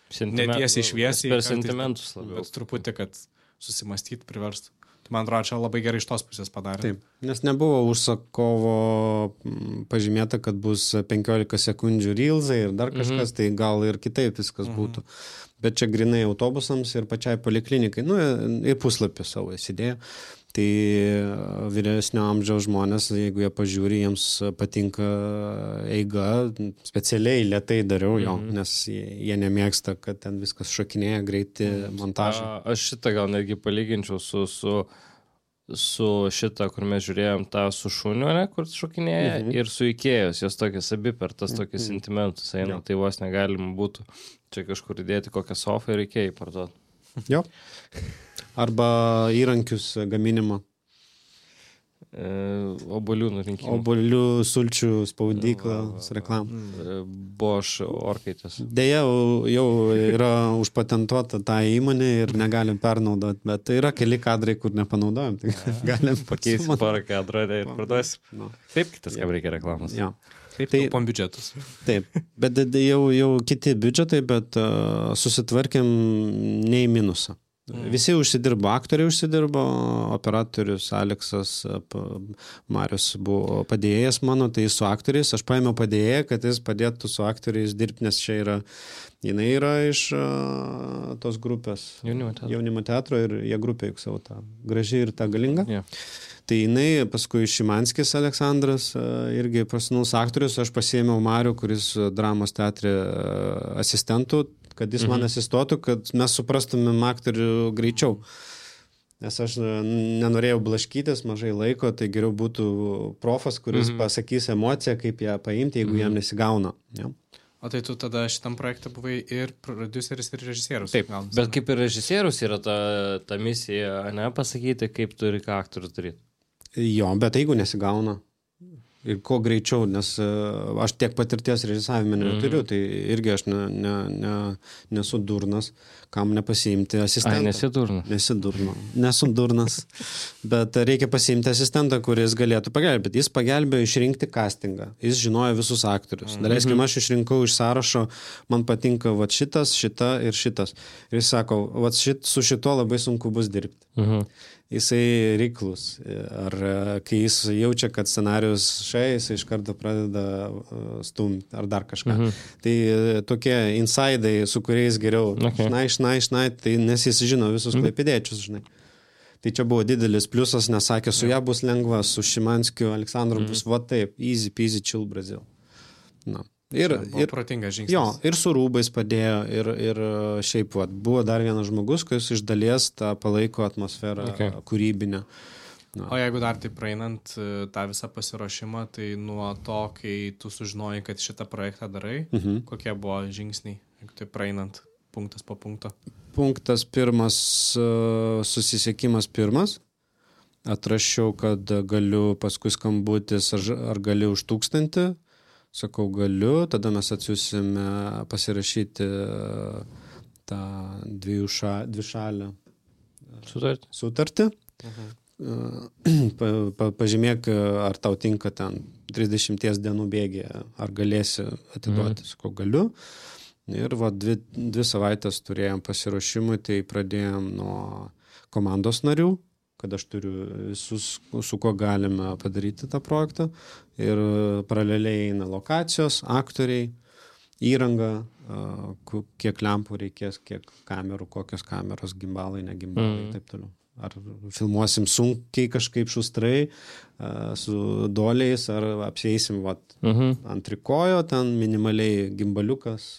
netiesiai šviesiai. Per sentimentus labiau. Bet truputį, kad susimastyti priverstų. Tai man atrodo, čia labai gerai iš tos pusės padarė. Taip, nes nebuvo užsakovo pažymėta, kad bus penkiolika sekundžių reelsai ir dar kažkas, mm-hmm. tai gal ir kitaip viskas mm-hmm. būtų. Bet čia grinai autobusams ir pačiai poliklinikai, nu, į puslapį savo įsidėjo. Tai vyresnio amžiaus žmonės, jeigu jie pažiūri, jiems patinka eiga, specialiai lėtai dariau jo, mm-hmm. nes jie, jie nemėgsta, kad ten viskas šokinėja, greiti montažai. A, aš šitą gal netgi palyginčiau su, su, su šitą, kur mes žiūrėjom tą su šuniu, ne, kur šokinėja, mm-hmm. ir su Ikėjos, jos tokias abi per tas tokias mm-hmm. sentimentus eina, tai vos negalima būtų čia kažkur įdėti kokią sofą ir Ikėjai parduoti. Jo. Arba įrankius gaminimo. E, obolių nurinkimo. Obolių sulčių spaudyklos reklamą. Bosch orkaitės. Deja, jau yra užpatentuota tą įmonę ir negalim pernaudoti, bet yra keli kadrai, kur nepanaudojam. Tai galim pakeisti porą kadrą ir parduosim. No. Taip, kitas, kam reikia reklamos. Ja. Taip, tai taupom biudžetus. Taip, bet jau, jau kiti biudžetai, bet uh, susitvarkėm ne į minusą. Mm. Visi užsidirbo, aktoriai užsidirbo, operatorius Aleksas Marius buvo padėjėjas mano, tai su aktoriais, aš paėmiau padėjėją, kad jis padėtų su aktoriais dirbti, nes čia yra, jinai yra iš uh, tos grupės jaunimo teatro. jaunimo teatro ir jie grupė juk savo tą graži ir tą galingą. Yeah. Tai jinai, paskui Šimanskis Aleksandras, irgi profesionalus aktorius, aš pasiėmiau Marių, kuris dramos teatre asistentų, kad jis man asistuotų, kad mes suprastumėm aktorių greičiau. Nes aš nenorėjau blaškytis, mažai laiko, tai geriau būtų profas, kuris mm-hmm. pasakys emociją, kaip ją paimti, jeigu mm-hmm. jam nesigauna. Ja. O tai tu tada šitam projekte buvai ir prodiuseris, ir režisierius. Taip, gaunasi, bet kaip ir režisierius yra ta, ta misija, ne, pasakyti, kaip turi ką aktorius daryti. Jo, bet jeigu nesigauna ir kuo greičiau, nes uh, aš tiek patirties režisavime neturiu, mm. tai irgi aš ne, ne, ne, nesu durnas, kam nepasiimti asistentą. Ai, nesi durnas. Nesi durnas. Nesu durnas, bet reikia pasiimti asistentą, kuris galėtų pagelbėti. Jis pagelbėjo išrinkti castingą, jis žinojo visus aktorius. Mm. Daleiskim, aš išrinkau iš sąrašo, man patinka vat šitas, šita ir šitas. Ir jis sako, vat šit, su šito labai sunku bus dirbti. Mhm. Jisai reiklus. Ar kai jis jaučia, kad scenarius šai, jisai iš karto pradeda stumti ar dar kažką. Mhm. Tai tokie insidai, su kuriais geriau okay. šnai, šnai, šnai, tai nes jis žino visus mhm. klaipėdiečius, žinai. Tai čia buvo didelis pliusas, nes sakė, su ja bus lengva, su Šimanskiu, Aleksandru mhm. bus va taip, easy peasy chill Brazil. Na. Ir, ir, protingas žingsnis. Jo, ir su rūbais padėjo, ir, ir šiaip vat, buvo dar vienas žmogus, kuris iš dalies tą palaiko atmosferą okay. kūrybinę. Na. O jeigu dar tai praeinant tą visą pasiruošimą, tai nuo to, kai tu sužinojai, kad šitą projektą darai, mhm. kokie buvo žingsniai, jeigu tai praeinant punktas po punkto? Punktas pirmas, susisiekimas pirmas. Atrašiau, kad galiu paskui skambutis, ar, ar gali už tūkstantį. Sakau, galiu, tada mes atsiūsime pasirašyti tą dviejų ša, dvišalę sutartį. sutartį. Mhm. Pa, pa, pažymėk, ar tau tinka ten trisdešimties dienų bėgė, ar galėsi atiduoti. Mhm. Sakau, galiu. Ir va, dvi, dvi savaitės turėjom pasiruošimui, tai pradėjom nuo komandos narių, kad aš turiu visus, su kuo galime padaryti tą projektą. Ir paraleliai eina lokacijos, aktoriai, įranga, kiek lempų reikės, kiek kamerų, kokios kameros, gimbalai, negimbalai ir mm. taip toliau. Ar filmuosim sunkiai kažkaip šustrai, su doliais, ar apsieisim vat, mm-hmm. ant trikojo, ten minimaliai gimbaliukas,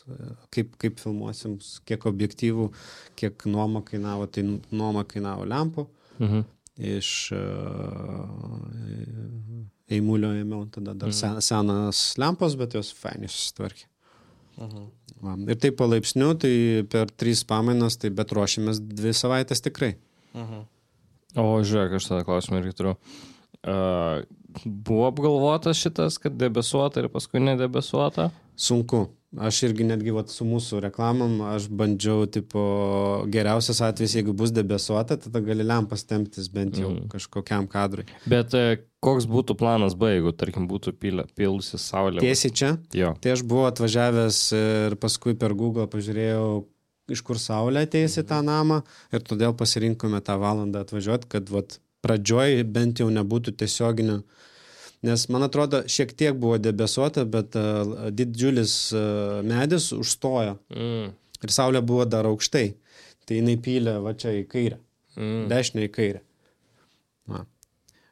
kaip, kaip filmuosim, kiek objektyvų, kiek nuoma kainavo, tai nuoma kainavo lempų. Mhm. Iš uh, eimulio ėmiau tada dar mhm. senas lempos, bet jos fainiai susitvarkė. Mhm. Va. Ir taip palaipsniu, tai per trys pamainas, tai bet ruošėmės dvi savaitės tikrai. Mhm. O žiūrėk, aš tada klausimą irgi turiu. Uh, buvo apgalvotas šitas, kad debesuota ir paskui nedebesuota? Sunku. Aš irgi netgi vat, su mūsų reklamom, aš bandžiau, tipo, geriausias atvejs, jeigu bus debesuota, tada gali lempas temptis bent jau mm. kažkokiam kadrui. Bet e, koks būtų planas B, jeigu, tarkim, būtų pilusi saulė? Tiesiai čia? Jo. Tai aš buvau atvažiavęs ir paskui per Google pažiūrėjau, iš kur saulė ateis į tą namą ir todėl pasirinkome tą valandą atvažiuoti, kad vat, pradžioj bent jau nebūtų tiesioginio. Nes, man atrodo, šiek tiek buvo debesuota, bet uh, didžiulis uh, medis užstojo. Mm. Ir saulė buvo dar aukštai. Tai jinai pylė va čia į kairę. Mm. Dešinę į kairę. Na.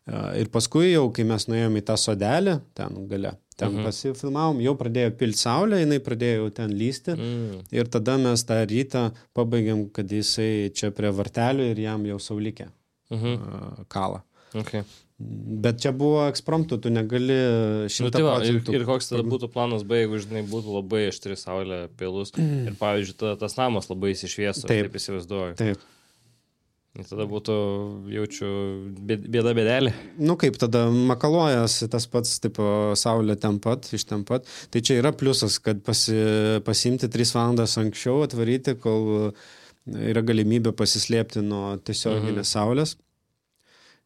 Uh, ir paskui jau, kai mes nuėjome į tą sodelį, ten gale, ten mm-hmm. pasifilmavom, jau pradėjo pilti saulę, jinai pradėjo ten lysti. Mm. Ir tada mes tą rytą pabaigėm, kad jisai čia prie vartelių ir jam jau saulikė mm-hmm. uh, kalą. Okay. Bet čia buvo ekspromptu, tu negali šimtą procentų. Nu, ir, ir koks tada būtų planas B, jeigu, žinai, būtų labai aštri saulė pilus mm. ir, pavyzdžiui, tada tas namas labai įsišviesų, taip, taip įsivaizduoju. Taip. Ir tada būtų, jaučiu, bėda bėdelė. Nu kaip, tada makaluojas tas pats, tipo, saulė ten pat, iš ten pat. Tai čia yra pliusas, kad pasi, pasiimti tris valandas anksčiau, atvaryti, kol yra galimybė pasislėpti nuo tiesioginės mhm. saulės.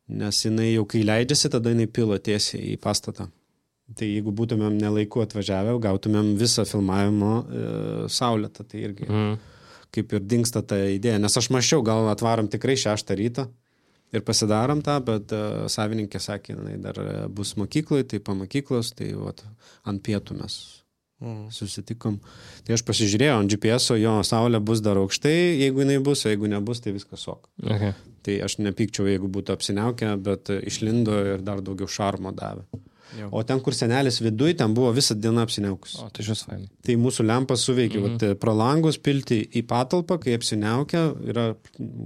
Nes jinai jau kai leidžiasi, tada jinai pila tiesiai į pastatą. Tai jeigu būtumėm nelaiku atvažiavę, gautumėm visą filmavimo e, saulėtą, tai irgi mm. kaip ir dingsta ta idėja. Nes aš mačiau, gal atvarom tikrai šeštą rytą ir pasidarom tą, bet e, savininkė sakė, jinai dar bus mokyklai, tai po mokyklos, tai vat, ant pietų mes mm. susitikom. Tai aš pasižiūrėjau ant G P S-o, jo saulė bus dar aukštai, jeigu jinai bus, o jeigu nebus, tai viskas ok. Okay. Tai aš nepykčiau, jeigu būtų apsiniaukę, bet išlindo ir dar daugiau šarmo davė. Jau. O ten, kur senelis viduj, ten buvo visą dieną apsiniaukus. O, tai šis fainai. Tai mūsų lempas suveikė, mm-hmm. vat, pro langus pilti į patalpą, kai apsiniaukia, yra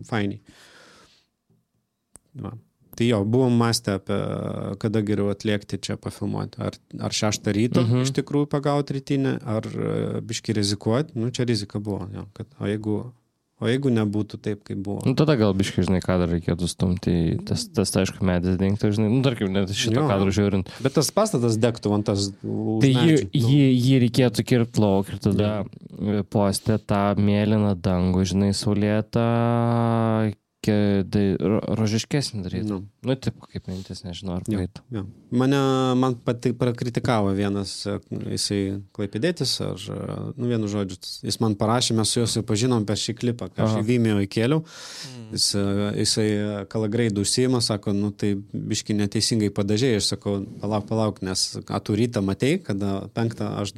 fainiai. Va. Tai jo, buvom mąstę apie, kada geriau atliekti čia pafilmuoti. Ar, ar šeštą ryto mm-hmm. iš tikrųjų pagauti rytinę, ar biški rizikuoti. Nu, čia rizika buvo. Jo, kad, o jeigu O jeigu nebūtų taip, kaip buvo? Nu, tada gal biškai, žinai, kadrą reikėtų stumti, tas, tas tai, aišku, medis dingtų, žinai, nu, tarkim, net šito Jo. kadro žiūrint. Bet tas pastatas degtų ant tas... Tai jį, jį, jį reikėtų kirpti lauk ir tada postė tą mėlyną dangų, žinai, saulėtą, rožiškesnį daryti. Nu. Nu, taip, kaip mintis, nežinau, ar paėtų. Jo. Mane, man pati prakritikavo vienas, jisai klaipėdėtis, ar, nu, vienu žodžiu, jis man parašė, mes su juos pažinom per šį klipą, ką aš į Vimeo įkėliau, jis, jisai kalagreidų užsijima, sako, nu, tai biški neteisingai padažėjai, aš sakau, palauk, palauk, nes tu rytą matei, kada penktą aš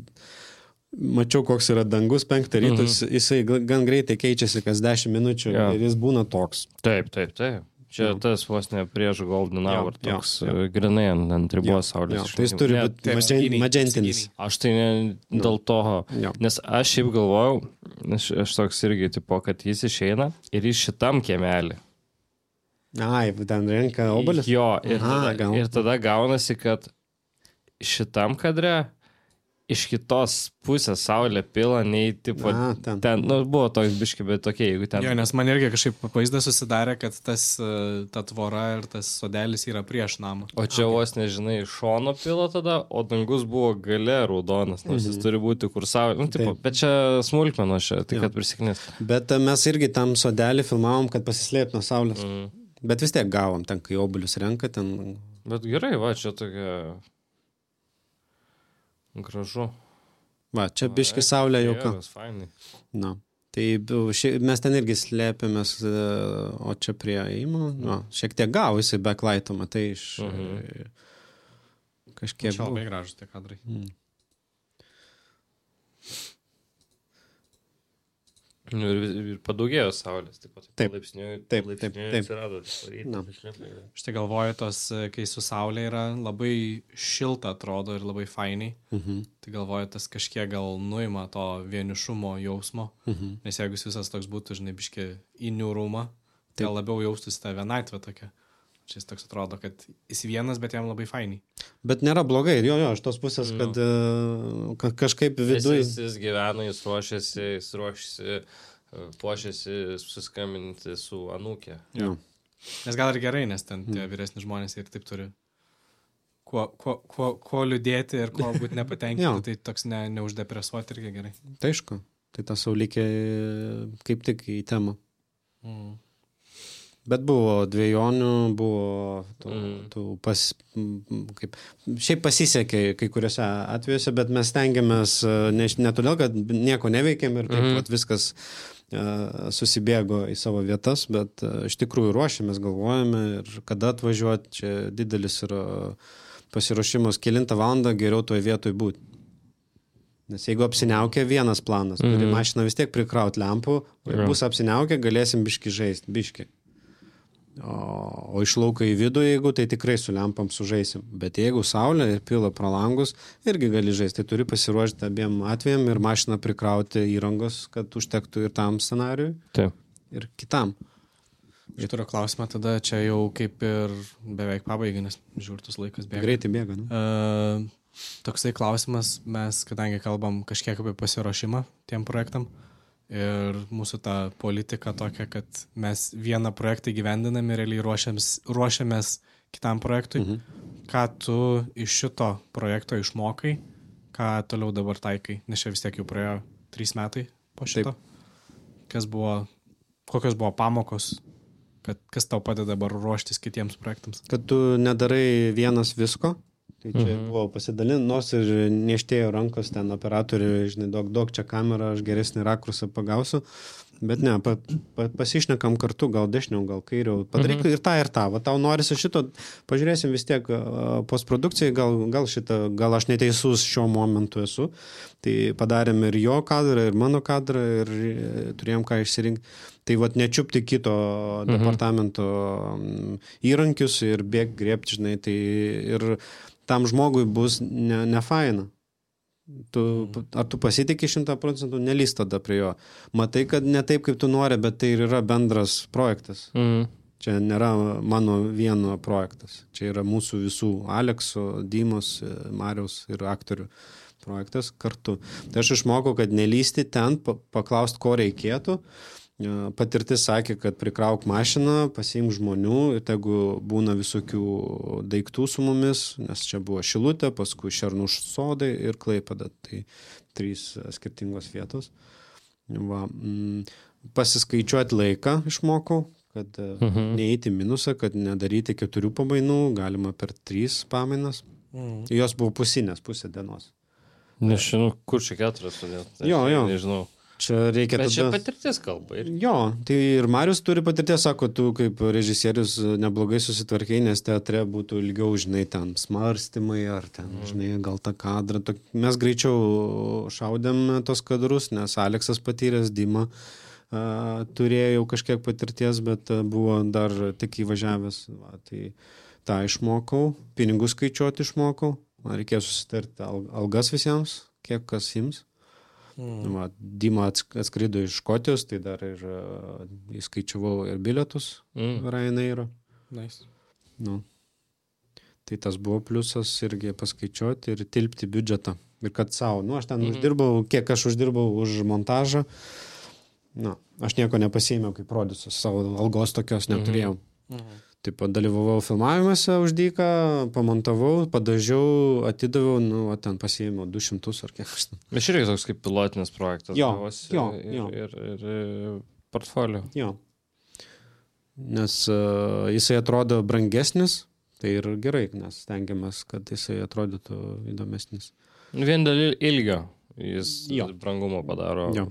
mačiau, koks yra dangus, penktą rytus, mhm. jisai gan greitai keičiasi kas dešimt minučių ja. ir jis būna toks. Taip, taip, taip. Čia Jo. tas vos ne prieš Golden Hour, Jo, toks jo, jo. grinai ant, ant ribos saulės. Jo, tai jis turi Net- būti magen- magentinis. Aš tai ne dėl to, Jo. nes aš šiaip galvojau, aš, aš toks irgi tipo, kad jis išeina ir jis šitam kiemelį. Ai, ten renka obelis? Jo, ir, Aha, tada, gal. ir tada gaunasi, kad šitam kadre iš kitos pusės saulė pila, nei tipo, A, ten. ten, nu, buvo toks biški, bet tokie, jeigu ten... Jo, nes man irgi kažkaip vaizdas susidarė, kad tas, e, ta tvora ir tas sodelis yra prieš namą. O čia vos nežinai, iš šono pila tada, o dangus buvo gale raudonas, nors jis turi būti kur saulė. Nu, tipo, Taip. bet čia smulkmeno, čia, tai Jo. kad prisiknės. Bet e, mes irgi tam sodelį filmavom, kad pasislėpti nuo saulės. Mm. Bet vis tiek gavom, ten kai obulius renka, ten... Bet gerai, va, čia tokia... Gražu. Va, čia biški saulė jau ką. Geras, fainai. Na. Tai bu- ši, mes ten irgi slėpėmės, e, o čia prie įimo, no, šiek tiek gavosi backlight'o, matai, iš... Mhm. e, Kažkiek... Čia labai gražus tie kadrai. Mm. Nu, ir, vis- ir padaugėjo saulės, taip pat. Taip. Palaipsniui, Taip, palaipsniui taip, taip. atsirado tas rytas, Na. išlipa. Štai galvoju, tos, e, kai su saulė yra labai šilta atrodo ir labai fainiai, Mhm. tai galvoju, tas kažkiek gal nuima to vienišumo jausmo, Mhm. nes jeigu jis visas toks būtų, žinai, biški į niūrumą, tai gal labiau jaustųsi tą vienatvę tokia. Čia jis toks atrodo, kad jis vienas, bet jam labai fainiai. Bet nėra blogai, ir jo, jo, iš tos pusės, Jo. kad e, ka- kažkaip Jis, viduje... jis, jis gyvena, jis ruošiasi, jis ruošiasi, e, puošiasi susiskambinti su anūkė. Jo. Nes gal ir gerai, nes ten tie vyresni žmonės ir taip turi kuo, kuo, kuo, kuo liūdėti ir kuo būti Jo. nepatenkinti, tai toks ne, neuždepresuoti irgi gerai. Tai aišku, tai ta saulikė kaip tik į temą. Mm. Bet buvo dviejonių, buvo tų, Mhm. tų pas, m, kaip, šiaip pasisekė kai kuriuose atvejuose, bet mes stengiamės e, ne, ne todėl, kad nieko neveikėm ir taip Mhm. pat viskas e, susibėgo į savo vietas, bet e, iš tikrųjų ruošiamės, galvojame ir kada atvažiuoti, čia didelis yra pasiruošimas, kelintą valandą geriau toje vietoje būti. Nes jeigu apsiniaukia vienas planas, turi Mhm. mašiną vis tiek prikrauti lempų, o jeigu Jo. bus apsiniaukia, galėsim biški žaisti, biški. O, o iš lauko į vidų, jeigu, tai tikrai su lempam sužaisim. Bet jeigu saulė ir pila pro langus, irgi gali žaisti. Tai turi pasiruošti abiem atvejam ir mašiną prikrauti įrangos, kad užtektų ir tam scenariui, Taip. ir kitam. Aš turiu klausimą tada, čia jau kaip ir beveik pabaigai, nes žiūrtus laikas bėga. Greitai bėga, nu? Uh, toksai klausimas, mes kadangi kalbam kažkiek apie pasiruošimą tiem projektam ir mūsų ta politika tokia, kad mes vieną projektą gyvendinam ir realiai ruošiamės, ruošiamės kitam projektui. Mhm. Ką tu iš šito projekto išmokai, ką toliau dabar taikai, nes čia vis tiek jau praėjo trys metai po šito. Taip. Kas buvo, kokios buvo pamokos, kad kas tau padeda dabar ruoštis kitiems projektams? Kad tu nedarai vienas visko. Tai čia Mhm. buvo pasidalinti, nors ir nieštėjo rankos ten operatoriui, žinai, daug, daug čia kamerą, aš geresnį rakursą pagausiu. Bet ne, pa, pa, pasišnekam kartu, gal dešiniau, gal kairiau. Padaryk Mhm. ir tą, ir tą. Va tau norisi šito, pažiūrėsim vis tiek a, postprodukcijai, gal, gal šitą, gal aš neteisus šiuo momentu esu. Tai padarėm ir jo kadrą, ir mano kadrą, ir e, turėjom ką išsirinkti. Tai vat nečiupti kito Mhm. departamento mm, įrankius ir bėg griebti, žinai, tai ir tam žmogui bus ne, ne faina. Tu, ar tu pasitikė šimtą procentų, nelys tada prie jo. Matai, kad ne taip, kaip tu nori, bet tai ir yra bendras projektas. Mhm. Čia nėra mano vieno projektas. Čia yra mūsų visų Alekso, Dymos, Mariaus ir aktorių projektas kartu. Tai aš išmokau, kad nelysti ten, pa- paklausti, ko reikėtų. patirtis sakė, kad prikrauk mašiną, pasiimk žmonių ir tegu būna visokių daiktų su mumis, nes čia buvo Šilutė, paskui Šernų sodai ir Klaipėda. Tai trys skirtingos vietos. Va, mm, pasiskaičiuoti laiką išmokau, kad mhm. neįti minusą, kad nedaryti keturių pamainų, galima per trys pamainas. Mhm. Jos buvo pusinės, pusė dienos. Nežinau, kur čia keturias todėl. Jo, jo. Nežinau. Čia reikia Bet tada... čia patirties kalba. Ir... Jo, tai ir Marius turi patirties, sako, tu kaip režisierius neblogai susitvarkiai, nes teatre būtų ilgiau, žinai, ten smarstymai ar ten, mm. žinai, gal tą kadrą. Mes greičiau šaudėm tos kadrus, nes Aleksas patyręs, Dima a, turėjo jau kažkiek patirties, bet a, buvo dar tik įvažiavęs. Va, tai tą išmokau, pinigų skaičiuoti išmokau, man reikėjo susitarti algas visiems, kiek kas ims. Mm. Va, Dima atskrido iš Škotijos, tai dar ir uh, įskaičiavau ir bilietus mm. Ryanairo. Nice. Nu. Tai tas buvo pliusas irgi paskaičiuoti ir tilpti biudžetą. Ir kad savo, nu aš ten mm. uždirbau, kiek aš uždirbau už montažą, nu, aš nieko nepasiėmiau kaip prodiusas, savo algos tokios neturėjau. Mm. Taip pat dalyvavau filmavimuose už dyką, pamontavau, padažiau, atidaviau, nu, o ten pasiėmiau du šimtus ar kiek aš ten. Bet irgi toks kaip pilotinis projektas. Jo, gavosi jo, ir, jo. Ir, ir, ir portfolio. Jo. Nes uh, jisai atrodo brangesnis, tai ir gerai, nes stengiamės, kad jisai atrodytų įdomesnis. Vien dėl ilgio jis jo. Brangumo padaro. Jo.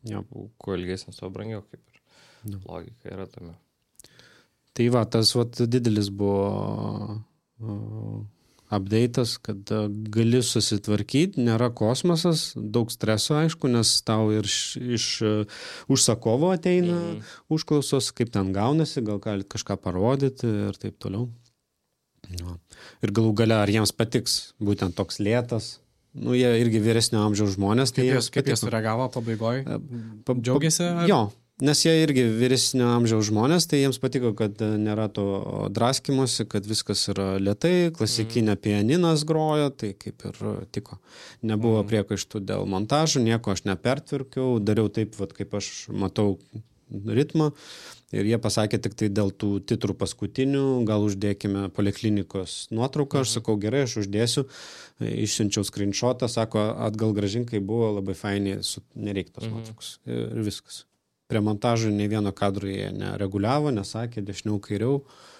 Jo. Kuo ilgesnis, tuo brangiau, kaip ir jo. Logika yra tame. Tai va, tas vat, didelis buvo uh, update'as, kad uh, gali susitvarkyti, nėra kosmosas, daug streso, aišku, nes tau ir iš, iš uh, užsakovo ateina mm. užklausos, kaip ten gaunasi, gal galit kažką parodyti ir taip toliau. Ja. Ir galų gale, ar jiems patiks būtent toks lėtas. Nu, jie irgi vyresnio amžiaus žmonės. Kaip tai jie kaip sureagavo pabaigoje? Pa, Džiaugiasi? Ar... Jo. Nes jie irgi vyresnio amžiaus žmonės, tai jiems patiko, kad nėra to draskimuose, kad viskas yra lėtai, klasikinė mm. pianinas grojo, tai kaip ir tiko. Nebuvo mm. priekaištų dėl montažų, nieko aš nepertvirkiau, dariau taip, vat, kaip aš matau ritmą. Ir jie pasakė tik tai dėl tų titrų paskutinių, gal uždėkime poliklinikos nuotrauką, aš sakau, gerai, aš uždėsiu, išsiunčiau screenshotą, sako, atgal grąžinkai buvo labai fainiai, nereikia tos nuotraukos ir viskas. Prie montažų nei vieno kadro jie nereguliavo, nesakė dešiniau kairiau.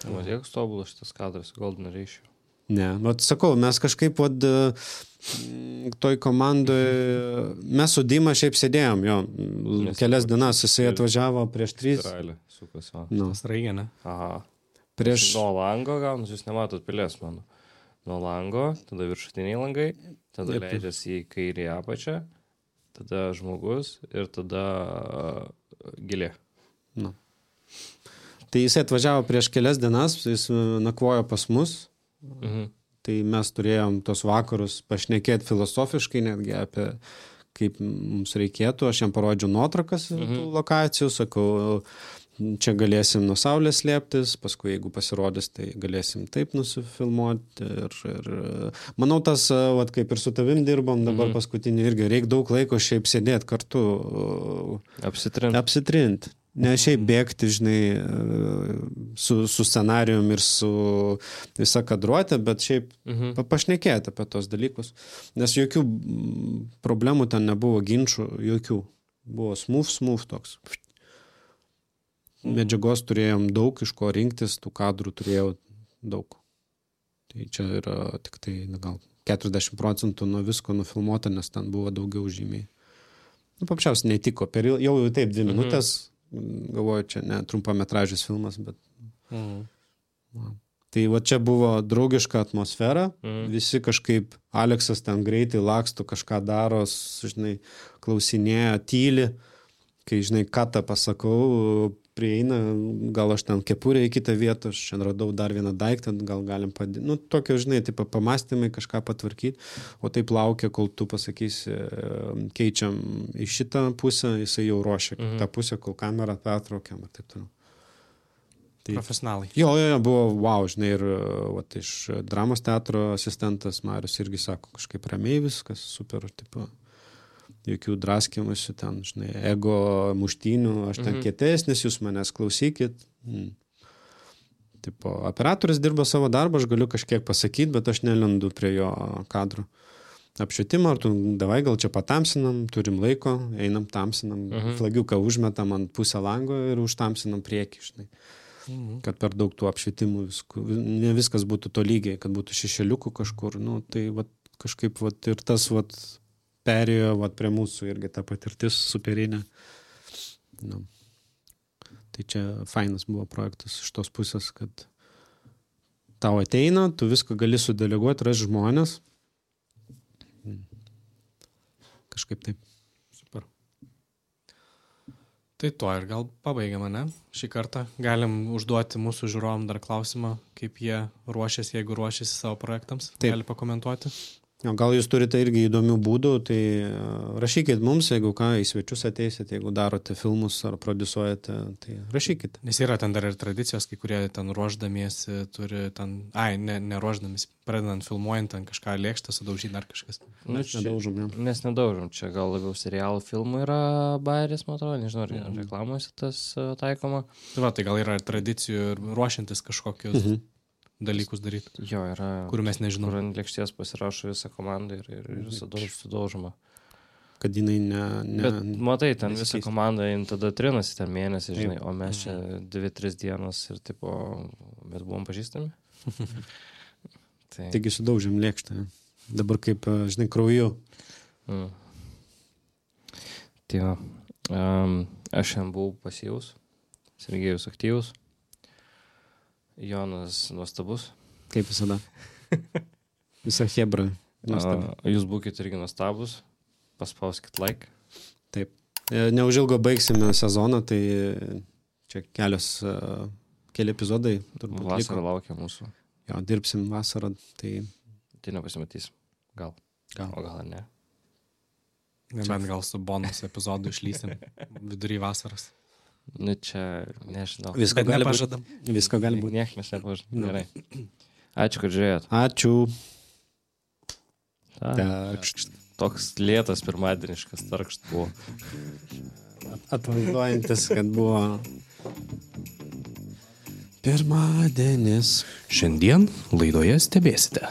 O tiek tobulas šitas kadras, Golden Ratio. Ne, bet sakau, mes kažkaip vat, toj komandoj, mes su Dima šiaip sėdėjom, jo, Nes kelias dienas, jisai atvažiavo prieš trys. Izraelį, sukas, va. Nu. Sraigė, ne? Aha. Prieš... Nuo lango gaunus, jūs nematot pilės mano. Nuo lango, tada viršutiniai langai, tada Jep. Leidžiasi į kairį apačią, tada žmogus ir tada gilė. Nu. Tai jisai atvažiavo prieš kelias dienas, jis nakvojo pas mus, mhm. tai mes turėjom tos vakarus pašnekėti filosofiškai netgi apie kaip mums reikėtų, aš jam parodžiau nuotraukas mhm. tų lokacijų, sakau, čia galėsim nuo saulės slėptis, paskui jeigu pasirodys, tai galėsim taip nusifilmuoti ir, ir manau tas, vat, kaip ir su tavim dirbom dabar mm-hmm. paskutinį irgi, reikia daug laiko šiaip sėdėti kartu. Apsitrint. Apsitrint. Ne šiaip bėgti, žinai, su, su scenarijum ir su visa kadruotė, bet šiaip mm-hmm. pašnekėti apie tos dalykus. Nes jokių problemų ten nebuvo, ginčių, jokių. Buvo smooth, smooth toks. Medžiagos turėjom daug, iš ko rinktis, tų kadrų turėjau daug. Tai čia yra tik tai gal keturiasdešimt procentų nuo visko nufilmuota, nes ten buvo daugiau žymiai. Nu, paprasčiausiai netiko. Per jau, jau taip dvi minutės, mhm. galvoju, čia ne trumpametražis filmas, bet... Mhm. Va. Tai va čia buvo draugiška atmosfera, mhm. visi kažkaip, Aleksas ten greitai laksto, kažką daro, žinai, klausinėja, tyli, kai, žinai, ką tą pasakau, prieina, gal aš ten kepurę į kitą vietą, aš čia radau dar vieną daiktą, gal galim padėti. Nu, tokio, žinai, taip pamastymai kažką patvarkyti, o taip laukia, kol tu pasakysi, keičiam į šitą pusę, jisai jau ruošia mhm. tą pusę, kol kamerą pertraukiam ir taip toliau. Tai, profesionalai. Jo, jo, jo, buvo, wow, žinai, ir vat, iš dramos teatro asistentas Marius irgi sako, kažkaip ramiai viskas, super, tipo. jokių draskimusių ten, žinai, ego muštynių, aš ten mhm. kietesnis, jūs manęs klausykit. Mm. Tipo, operatorius dirba savo darbą, aš galiu kažkiek pasakyti, bet aš nelendu prie jo kadrų. Apšvietimą, ar tu davai gal čia patamsinam, turim laiko, einam tamsinam, mhm. flagiuką užmetam ant pusę lango ir užtamsinam priekį, žinai. Mhm. Kad per daug tų apšvietimų viskų, ne viskas būtų to lygiai, kad būtų šešėliukų kažkur, nu, tai vat, kažkaip vat, ir tas vat, perėjo vat, prie mūsų irgi ta patirtis superinė. Nu. Tai čia fainas buvo projektas iš tos pusės, kad tau ateina, tu viską gali sudeleguoti, ras žmonės. Kažkaip taip. Super. Tai to ir gal pabaigiam, ne? Šį kartą galim užduoti mūsų žiūrovam dar klausimą, kaip jie ruošiasi, jeigu ruošiasi savo projektams. Taip. Gali pakomentuoti. O gal jūs turite irgi įdomių būdų, tai rašykit mums, jeigu ką, į svečius ateisit, jeigu darote filmus ar prodiusuojate, tai rašykit. Nes yra ten dar ir tradicijos, kai kurie ten ruoždamiesi turi ten, ai, ne, neruoždamiesi, pradedant filmuojant ten kažką lėkštą, sudaužyti dar kažkas. Nu, čia, nedaužom, ja. Mes nedaužom, čia gal labiau serialų filmų yra bairis, man atrodo, nežinau, ar mm. reklamuose tas taikoma. Tai va, tai gal yra ir tradicijų ir ruošiantis kažkokius mm-hmm. dalykus daryti. Jo, yra. Kurių mes nežinom. Kur ant lėkštės pasirašo visą komandą ir, ir, ir sudaužoma. Kad jinai ne... ne Bet matai, ten visą komandą, jin tada trinasi ten mėnesį, žinai, o mes čia dvi, tris dienas ir tipo, mes buvom pažįstami. tai... Taigi sudaužėm lėkštę. Dabar kaip, žinai, krauju. Mm. Tai va, um, aš šiandien buvau pasyvus, Sergejus aktyvus. Jonas nuostabus. Kaip visada. Visa hebra nuostabu. Jūs būkite irgi nuostabus. Paspauskit like. Taip. Neužilgo baigsime sezoną, tai čia kelios, keli epizodai. Vasara laukia mūsų. Jo, dirbsim vasarą, tai... Tai nepasimatysim. Gal. Gal. O gal ne. Nebent gal su bonus epizodu išlysim vidury vasaros. Nu čia, nežinau. Visko gali būti. Visko gali būti. Niek mes nepažadam. Gerai. Ačiū, kad žiūrėjot. Ačiū. Takšt. Toks lėtas pirmadieniškas tarkšt buvo. Atvaizduojantis, kad buvo pirmadienis. Šiandien laidoje stebėsite,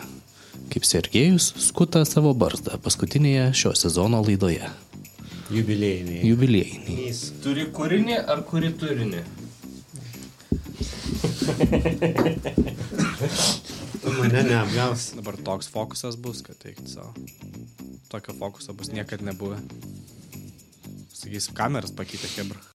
kaip Sergejus skuta savo barzdą paskutinėje šio sezono laidoje. Jubiliejiniai. Jubiliejiniai. Turi kūrinį ar kuri turinį? Tu mane neapgaus. Dabar toks fokusas bus, kad teikti savo. Tokio fokuso bus niekad nebuvę. Sakysim, kameras pakeitė hebra.